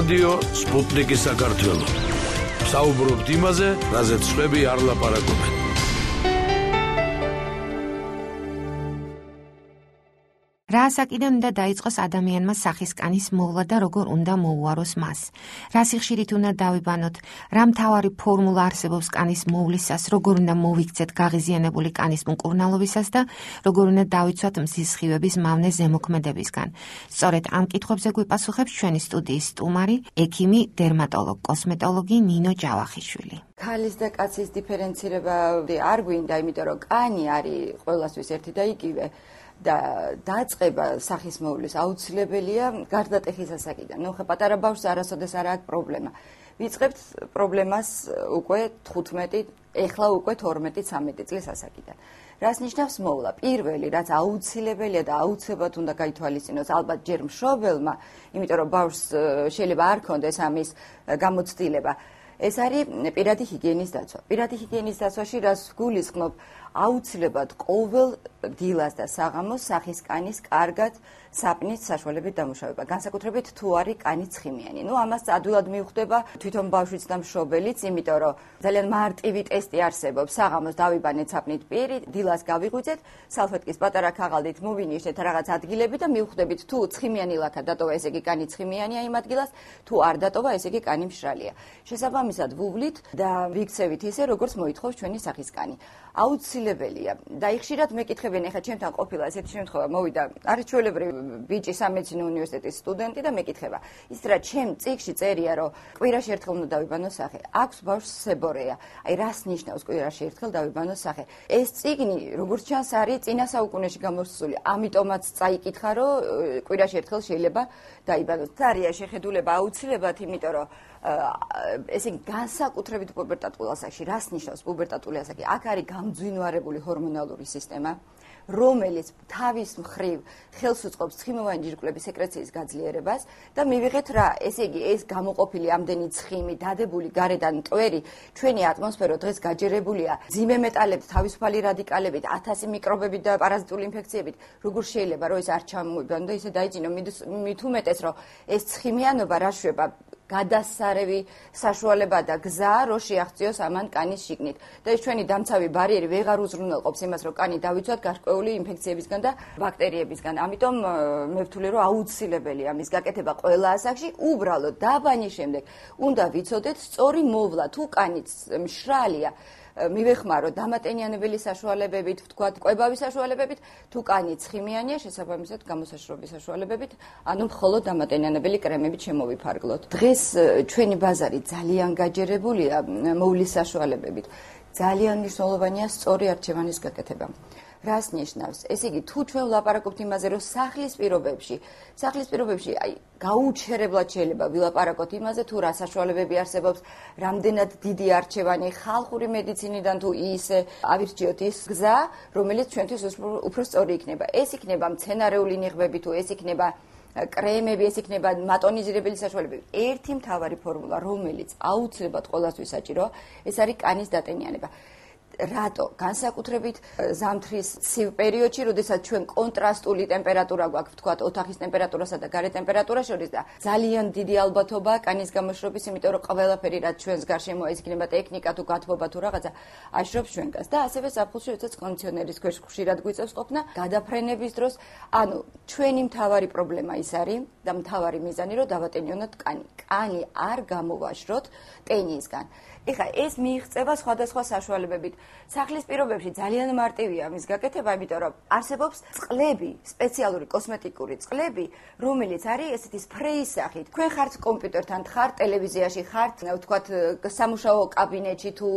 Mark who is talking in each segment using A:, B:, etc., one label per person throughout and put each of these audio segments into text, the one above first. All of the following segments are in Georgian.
A: რადიო სპუტნიკი საქართველო. საუბრობთ იმაზე, რაზეც სხვები არ ლაპარაკობენ.
B: რა ასაკიდან უნდა დაიწყოს ადამიანმა სახის კანის მოვლა და როგორ უნდა მოუაროს მას? რა სიხშირით უნდა დავიბანოთ? რა მთავარი ფორმულა არსებობს კანის მოვლისას? როგორ უნდა მოვიქცეთ გაღიზიანებული კანის მკურნალობისას და როგორ უნდა დავიცვათ მზის სხივების მავნე ზემოქმედებისგან? სწორედ ამ კითხვებზე გვიპასუხებს ჩვენი სტუდიის სტუმარი, ექიმი, დერმატოლოგ, კოსმეტოლოგი ნინო ჯავახიშვილი.
C: ქალის და კაცის დიფერენცირება არ გვინდა, იმიტომ რომ კანი არის ყველასთვის ერთი და იგივე. და დაწყება სახის მოვლის აუცილებელია გარდატეხის ასაკიდან. ნუ ხა პატარა ბავშვს არასოდეს არ აქვს პრობლემა. ვიწყებთ პრობლემას უკვე 15, ეხლა უკვე 12-13 წლის ასაკიდან. რას ნიშნავს მოვლა? პირველი, რაც აუცილებელია და აუცილებლად უნდა გაითვალისწინოს ალბათ ჯერ მშობელმა, იმიტომ რომ ბავშვს შეიძლება არ ქონდეს ამის გამოცდილება. ეს არის პირადი ჰიგიენის დაცვა. პირადი ჰიგიენის დაცვაში რას გულისხმობ? აუცილებლად ყოველ დილას და საღამოს სახის კანის კარგად საპნის საშუალებით დამუშავება. განსაკუთრებით თუ არის კანი ცხიმიანი. ნუ ამას ადვილად მიხვდება თვითონ ბავშვიც და მშობელიც, იმიტომ რომ ძალიან მარტივი ტესტი არსებობს. საღამოს დავიბანეთ საპნით პირი, დილას გავიღვიძეთ, სალფეტკის პატარა ქაღალდით მოვინიშნეთ რაღაც ადგილები და მივხვდებით თუ ცხიმიანი ლაქა დატოვა, ესე იგი კანი ცხიმიანია იმ ადგილას, თუ არ დატოვა, ესე იგი კანი მშრალია. შესაბამისად ვუვლით და ვიქცევით ისე, როგორც მოითხოვს ჩვენი სახის კანი. აუცილებელია და ხშირად მეკითხებიან, ეხლა ჩემთან ყოფილა ესეთი შემთხვევა, მოვიდა არის ჩვეულებრივი ბიჭი სამედიცინო უნივერსიტეტის სტუდენტი და მეკითხება. ის რა ჩემ წიგნში წერია, რომ კვირაში ერთხელ უნდა დავიბანოს სახე. აქვს ბავშვს სებორეა. აი რას ნიშნავს კვირაში ერთხელ დავიბანოს სახე? ეს წიგნი, როგორც ჩანს, არის წინა საუკუნეში გამოსული. ამიტომაც წაიკითხა, რომ კვირაში ერთხელ შეიძლება დაიბანოს. თარია შეხედულება აუცილებლად, იმიტომ რომ ესე იგი განსაკუთრებით პუბერტატულ ასაკში, რას ნიშნავს პუბერტატული ასაკი? აქ არის გამძვინვარებული ჰორმონალური სისტემა, რომელიც თავის მხრივ ხელს უწყობს ცხიმოვანი ჯირკვლების სეკრეციის გაძლიერებას და მივიღეთ რა, ესე იგი ეს გამოყოფილი ამდენი ცხიმი, დადებული გარედან მტვერი, ჩვენი ატმოსფერო დღეს გაჯერებულია მძიმე მეტალებით, თავისუფალი რადიკალებით, 1000 მიკრობებით და პარაზიტული ინფექციებით. როგორ შეიძლება რომ ეს არ ჩამოიბანო და ისე დაიძინო, მით უმეტეს რომ ეს ცხიმიანობა რა შვება გადასარევი საშუალება და გზა, რომ შეაღწიოს ამან კანის შიგნით. და ეს ჩვენი დამცავი ბარიერი ვეღარ უზრუნველყოფს იმას, რომ კანი დავიცვათ გარკვეული ინფექციებისგან და ბაქტერიებისგან. ამიტომ მე ვთვლი, რომ აუცილებელია მის გაკეთება ყველა ასაკში, უბრალოდ დაბანის შემდეგ უნდა ვიცოდეთ სწორი მოვლა, თუ კანიც მშრალია, მივეხმაროთ დამატენიანებელი საშუალებებით, ვთქვათ, კვებავი საშუალებებით, თუ კანი ცხიმიანია, შესაბამისად გამოსაშრობის საშუალებებით, ანუ მხოლოდ დამატენიანებელი კრემებით შემოვიფარგლოთ. დღეს ჩვენი ბაზარი ძალიან გაჯერებულია მოვლის საშუალებებით. ძალიან მნიშვნელოვანია სწორი არჩევანის გაკეთება. რას ნიშნავს? ესე იგი, თუ ჩვენ ვლაპარაკობთ იმაზე, რომ სახლის პირობებში, აი, გაუჩერებლად შეიძლება ვილაპარაკოთ იმაზე, თუ რა საშუალებები არსებობს, რამდენად დიდი არჩევანი ხალხური მედიცინიდან თუ ისე ავირჩიოთ ის გზა, რომელიც ჩვენთვის უფრო სწორი იქნება. ეს იქნება მცენარეული ნიღბები, თუ ეს იქნება კრემები, ეს იქნება მატონიზირებელი საშუალებები. ერთი მთავარი ფორმულა, რომელიც აუცილებლად ყველასთვის საჭიროა, ეს არის კანის დატენიანება. რატო? განსაკუთრებით ზამთრის ცივ პერიოდში, როდესაც ჩვენ კონტრასტული ტემპერატურა გვაქვს, ვთქვათ, ოთახის ტემპერატურასა და გარეთ ტემპერატურას შორის და ძალიან დიდი ალბათობაა კანის გამოშრობის, იმიტომ რომ ყველაფერი რაც ჩვენს გარშემო, ეს იქნება ტექნიკა თუ გათბობა თუ რაღაცა, აშრობს ჩვენგანს და ასევე ზაფხულში, როდესაც კონდიციონერის ქვეშ ხშირად გვიწევს ყოფნა, გადაფრენების დროს, ანუ ჩვენი მთავარი პრობლემა ის არის და მთავარი მიზანი, რომ დავატენიონოთ კანი. კანი არ გამოვაშროთ ტენისგან. ეხლა ეს მიიღწევა სხვადასხვა საშუალებებით. სახლის პირობებში ძალიან მარტივია მის გაკეთება, იმიტომ რომ არსებობს წყლები, სპეციალური კოსმეტიკური წყლები, რომელიც არის ესეთი სპრეის სახით. თქვენ ხართ კომპიუტერთან, ხართ ტელევიზიაში, ხართ, ვთქვათ, სამუშაო კაბინეტში თუ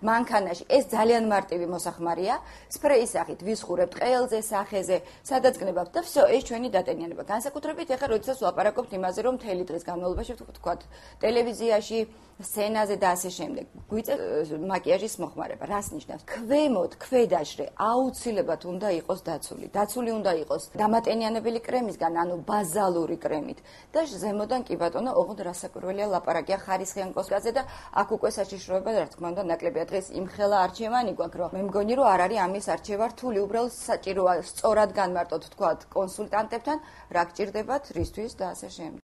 C: მანქანაში. ეს ძალიან მარტივი მოსახმარია, სპრეის სახით ვისხურებთ ყელზე, სახეზე, სადაც გნებავთ და всё, ეს ჩვენი დატენიანება. განსაკუთრებით ეხლა როდესაც ვლაპარაკობთ იმაზე, რომ მთელი დღის განმავლობაში, ვთქვათ, ტელევიზიაში, სცენაზე და ასე შემდეგ. გვიწევს მაკიაჟის მოხმარება. რას ნიშნავს? ქვემოთ, ქვედაშრე აუცილებლად უნდა იყოს დაცული. დაცული უნდა იყოს დამატენიანებელი კრემისგან, ანუ ბაზალური კრემით. და ზემოდან კი ბატონო, ოღონდ რასაკვირველია ლაპარაკია ხარისხიან კოსმეტიკაზე და აქ უკვე საშიშროება რა თქმა უნდა ნაკლებია. დღეს იმხელა არჩევანი გვაქვს, რომ მე მგონი რომ არ არის ამის არჩევა რთული, უბრალოდ საჭიროა სწორად განმარტოთ, თქვათ, კონსულტანტებთან, რა გჭირდებათ, რისთვის და ასე შემდეგ.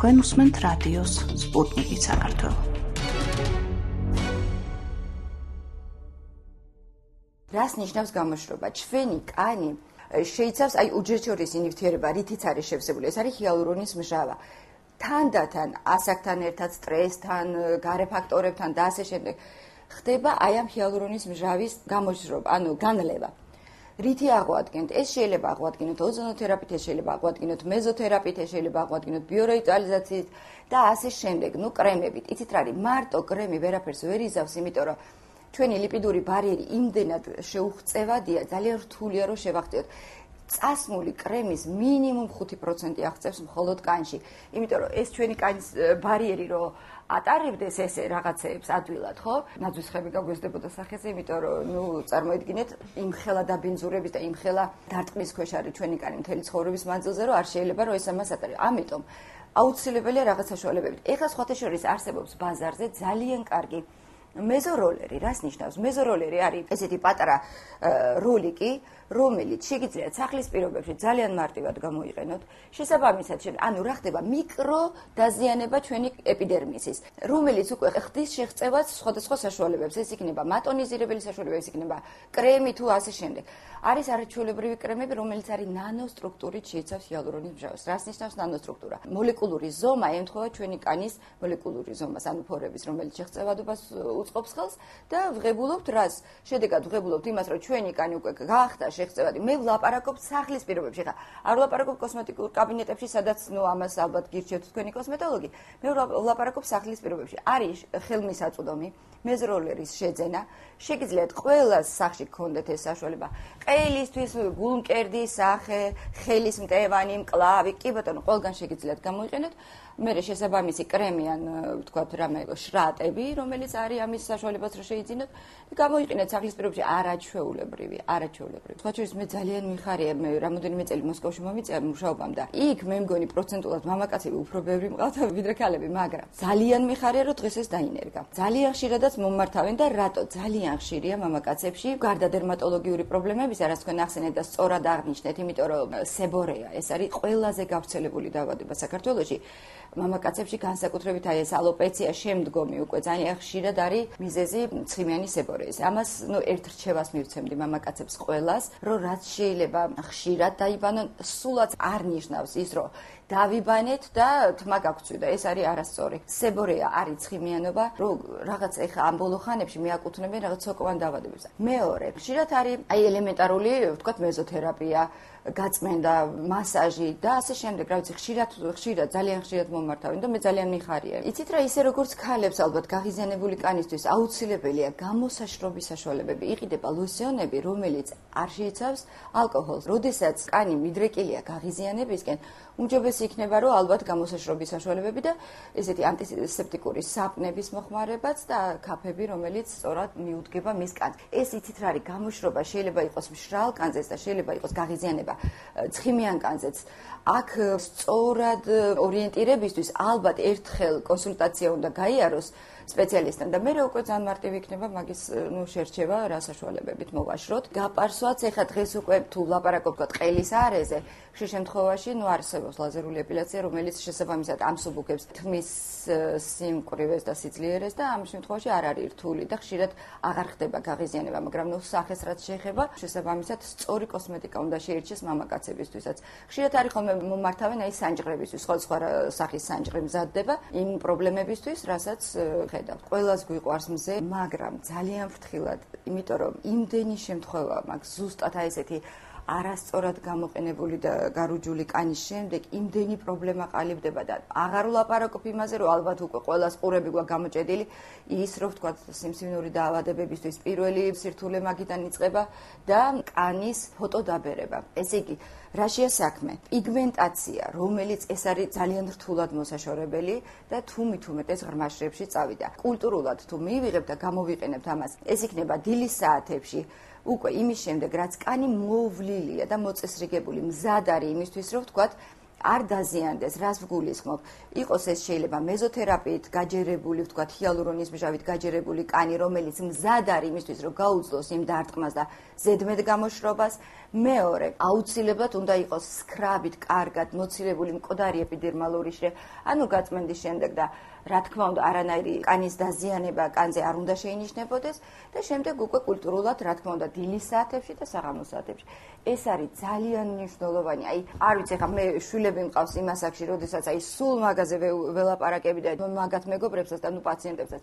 D: თქვენ უსმენთ რადიოს სპუტნიკი საქართველო.
C: რას ნიშნავს გამოშრობა? ჩვენი კანი შეიცავს უჯრედშორისი ნივთიერება, რითიც არის შევსებული. ეს არის ჰიალურონის მჟავა. თანდათან ასაკთან ერთად, სტრესთან, გარე ფაქტორებთან და ასე შემდეგ ხდება ამ ჰიალურონის მჟავის გამოშრობა, განლევა. რითი აღვადგენთ? ეს შეიძლება აღვადგინოთ ოზონოთერაპიით, ეს შეიძლება აღვადგინოთ მეზოთერაპიით, ეს შეიძლება აღვადგინოთ ბიორევიტალიზაციით და ასე შემდეგ, კრემებით. იცით რა არის? მარტო კრემი ვერაფერს ვერ იზავს, იმიტომ რომ ჩვენი ლიპიდური ბარიერი იმდენად შეუღწევადია, ძალიან რთულია რომ შევახციოთ. წასმული კრემის მინიმუმ 5% აღწევს მხოლოდ კანში. იმიტომ რომ ეს ჩვენი კანის ბარიერი რომ ატარებდეს ესე რაღაცეებს ადვილად, ხო? ნაძვისხები გაგვესდებოდა სახეზე, იმიტომ რომ წარმოიდგინეთ, იმხელა დაბინძურების და იმხელა დარტყმის ქვეშ არის ჩვენი კანი მთელი ცხოვრების მანძილზე, რომ არ შეიძლება რომ ეს ამას ატარებს. ამიტომ აუცილებელია რაღაც საშუალებებით. ეხლა სხვათა შორის არსებობს ბაზარზე ძალიან კარგი მეზოროლერი. რას ნიშნავს? მეზოროლერი არის ესეთი პატარა როლიკი, რომელიც შეგიძლიათ სახლის პირობებში ძალიან მარტივად გამოიყენოთ. შესაბამისად, რა ხდება? მიკრო დაზიანება ჩვენი ეპიდერმისის, რომელიც უკვე ხდის შეღწევას სხვადასხვა საშუალებებს. ეს იქნება მატონიზირებელი საშუალება, ეს იქნება კრემი თუ ასე შემდეგ. არის არაჩვეულებრივი კრემები, რომელიც არის ნანოსტრუქტურით შეიცავს ჰიალურონის მჟავას. რას ნიშნავს ნანოსტრუქტურა? მოლეკულური ზომა ემთხვევა ჩვენი კანის მოლეკულური ზომას, ფორების, რომელიც შეღწევადობას უწყობს ხელს და ვღებულობთ რას? შედეგად ვღებულობთ იმას, რომ ჩვენი კანი უკვე გახდა შეღწევადი. მე ვლაპარაკობ სახლის პირობებში. ხა არ ვლაპარაკობ კოსმეტიკურ კაბინეტებში, სადაც ამას ალბათ გირჩევთ თქვენი კოსმეტოლოგი. მე ვლაპარაკობ სახლის პირობებში. არის ხელმისაწვდომი მეზროლერის შეძენა. შეგიძლიათ ყველა სახში გქონდეთ ეს საშუალება. ყელისთვის გულმკერდი სახე, ხელის მტევანი, მკლავი, კი ბატონო, ყველგან შეგიძლიათ გამოიყენოთ. მე შესაბამისი კრემი ან ვთქვათ რამე შრატები, რომელიც არის ამის საშუალებას რომ შეიძინოთ, გამოიყენეთ სახლის პირობებში არაჩვეულებრივი. სხვა შორის მე ძალიან მიხარია, მე რამოდენიმე წელი მოსკოვში მომიწია მუშაობამ და იქ მე მგონი პროცენტულად მამაკაცები უფრო ბევრი მყავთ ვიდრე ქალები, მაგრამ ძალიან მიხარია რომ დღეს ეს დაინერგა. ძალიან ხშირადაც მომმართავენ და რატო? ძალიან ხშირია მამაკაცებში გარდა დერმატოლოგიური პრობლემებისა, რაც თქვენ ახსენეთ და სწორად აღნიშნეთ, იმიტომ რომ სებორეა, ეს არის ყველაზე გავრცელებული დაავადება საქართველოში. მამაკაცებში განსაკუთრებით ეს ალოპეცია შემდგომი უკვე ძალიან ხშირად არის მიზეზი ცხიმიანი სებორეის. ამას ერთ რჩევას მივცემდი მამაკაცებს ყველას, რომ რაც შეიძლება ხშირად დაიბანონ, სულაც არ ნიშნავს ის, რომ დავიბანეთ და თმა გაგწვიდა. ეს არის არასწორი. სებორეა არის ცხიმიანობა, რომ რაღაც ეხა ამ ბოლო ხანებში მეაკუთვნებენ რაღაც სოკოვან დაავადებებს. მეორე, ხშირად არის ელემენტარული, ვთქვათ, მეზოთერაპია, გაწმენდა, მასაჟი და ასე შემდეგ. რა ვიცი, ხშირად, ძალიან ხშირად მომართავენ და მე ძალიან მიხარია. იცით რა, ისე როგორც ქალებს ალბათ გაღიზიანებული კანისთვის აუცილებელია გამოსაშრობის საშუალებები. იყიდება ლოსიონები, რომელიც არ შეიცავს ალკოჰოლს. როდესაც კანი მიდრეკილია გაღიზიანებისკენ, უმჯობესი იქნება, რომ ალბათ გამოსაშრობის საშუალებები და ესეთი ანტისეპტიკური საპნების მოხმარებაც და კაფები, რომელიც სწორად მიუდგება მის კანს. ეს იცით რა არის, გამოშრობა შეიძლება იყოს მშრალ კანზეც და შეიძლება იყოს გაღიზიანება ცხიმიან კანზეც. აქ სწორად ორიენტირებისთვის ალბათ ერთხელ კონსულტაცია უნდა გაიაროს სპეციალისტთან და მე უკვე ძალიან მარტივი იქნება მაგის შერჩევა რა საშუალებებით მოვაშროთ. გაპარსვაც ეხა დღეს უკვე თუ ვლაპარაკობთ ყელის არეზე, ხშირ შემთხვევაში არსებობს ლაზერული ეპილაცია, რომელიც შესაბამისად ამსუბუქებს თმის სიმკვრივეს და სიძლიერეს და ამ შემთხვევაში არ არის რთული და ხშირად აღარ ხდება გაღიზიანება, მაგრამ სახეს რაც შეეხება, შესაბამისად სწორი კოსმეტიკა უნდა შეირჩეს მამაკაცებისთვისაც. ხშირად არის ხოლმე მომართავენ სანჯღრებისთვის, სხვა სახის სანჯღრი მზადდება იმ პრობლემებისთვის, რასაც ხედავთ. ყველას გვიყვარს მზე, მაგრამ ძალიან ფრთხილად, იმიტომ რომ იმდენი შემთხვევა მაქვს ზუსტად ესეთი არასწორად გამოყენებული და გარუჯული კანის შემდეგ იმდენი პრობლემა ყალიბდება და აღარ ვლაპარაკობ იმაზე, რომ ალბათ უკვე ყველას ყურები გვაქვს გამოჭედილი ის, რომ ვთქვათ, სიმსივნური დაავადებებისთვის პირველი სირთულე მაგიდან იწყება და კანის ფოტოდაბერება. ესე იგი, რაშია საქმე? პიგმენტაცია, რომელიც ეს არის ძალიან რთულად მოსაშორებელი და თუმით უმეტეს ღრმა შრებში წავიდა. კულტურულად თუ მივიღებთ და გამოვიყენებთ ამას, ეს იქნება დილის საათებში. უკვე იმის შემდეგ, რაც კანი მოვლილია და მოწესრიგებული, მზად არის იმისთვის, რომ ვთქვათ, არ დაზიანდეს, რას ვგულისხმობ, იყოს ეს შეიძლება მეზოთერაპიით გაჯერებული, ვთქვათ, ჰიალურონის მჟავით გაჯერებული კანი, რომელიც მზად არის იმისთვის, რომ გაუძლოს იმ დარტყმას და ზედმეტ გამოშრობას. მეორე, აუცილებლად უნდა იყოს სკრაბით კარგად მოცილებული მკვდარი ეპიდერმალური შრე, ანუ გაწმენდის შემდეგ და რა თქმა უნდა, არანაირი კანის დაზიანება კანზე არ უნდა შეინიშნებოდეს და შემდეგ უკვე კულტურულად, რა თქმა უნდა, დილის საათებში და საღამოს საათებში. ეს არის ძალიან მნიშვნელოვანი. არ ვიცი, ხა მე შვილები მყავს იმ ასაკში, როდესაც სულ მაგაზე ველაპარაკები და მაგათ მეგობრებსაც და პაციენტებსაც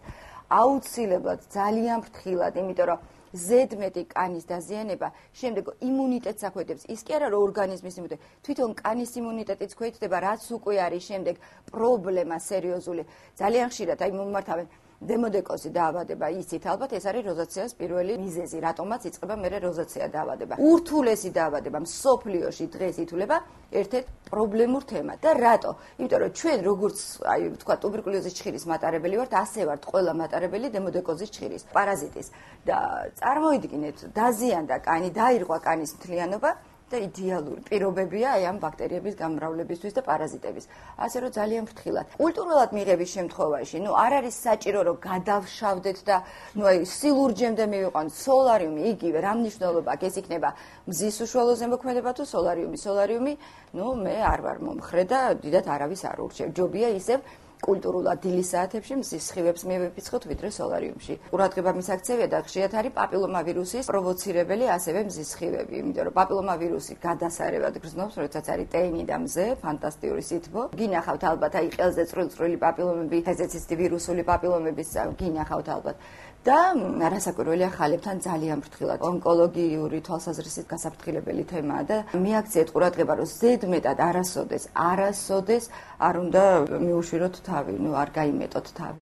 C: აუცილებლად ძალიან ფრთხილად, იმიტომ რომ ზედმეტი კანის დაზიანება შემდეგ იმუნიტეტს აქვეითებს. ის კი არა, რომ ორგანიზმის იმუნიტეტი, თვითონ კანის იმუნიტეტიც ქვეითდება, რაც უკვე არის შემდეგ პრობლემა სერიოზული. ძალიან ხშირად მომმართავენ დემოდეკოზი დაავადება, იცით ალბათ, ეს არის როზაცეას პირველი მიზეზი, რატომაც იწყება მერე როზაცეა დაავადება. ურთულესი დაავადება მსოფლიოში დღეს ითვლება ერთ-ერთ პრობლემურ თემად. და რატო? იმიტომ რომ ჩვენ როგორც თქვა ტუბერკულოზის ჩხირის მატარებელი ვართ, ასე ვართ ყველა მატარებელი დემოდეკოზის ჩხირის პარაზიტის. და წარმოიდგინეთ, დაზიანდა კანი, დაირღვა კანის მთლიანობა და იდეალური პირობებია ამ ბაქტერიების გამრავლებისთვის და პარაზიტების. ასე რომ ძალიან ფრთხილად. კულტურულად მიღების შემთხვევაში, არ არის საჭირო რომ გადავშავდეთ და სილურჯემდე მივიყვანთ სოლარიუმი, იგივე რა მნიშვნელობა აქვს, ეს იქნება მზის უშუალო ზემოქმედება თუ სოლარიუმი, მე არ ვარ მომხრე და დიდად არავის არ ურჩევ. ჯობია ისევ კულტურულად დილის საათებში მზის სხივებს მივეფიცხოთ ვიდრე სოლარიუმში. ყურადღება მისაქცევია და ხშირად არის პაპილომავირუსის პროვოცირებელი ასევე მზის სხივები, იმიტომ რომ პაპილომავირუსი გადასარევად გრძნობს, როდესაც არის ტენი და მზე, ფანტასტიკური სითბო. გინახავთ ალბათ ყელზე წვრილი პაპილომები, ხეზეციცდი ვირუსული პაპილომების გინახავთ ალბათ. და რასაკვირველია, ხალებთან ძალიან ფრთხილად ონკოლოგიური თვალსაზრისით გასაფრთხილებელი თემაა და მიაქციეთ ყურადღება, რომ ზედმეტად არასოდეს არ უნდა მიუშვიროთ თავი, არ გაიმეტოთ თავი.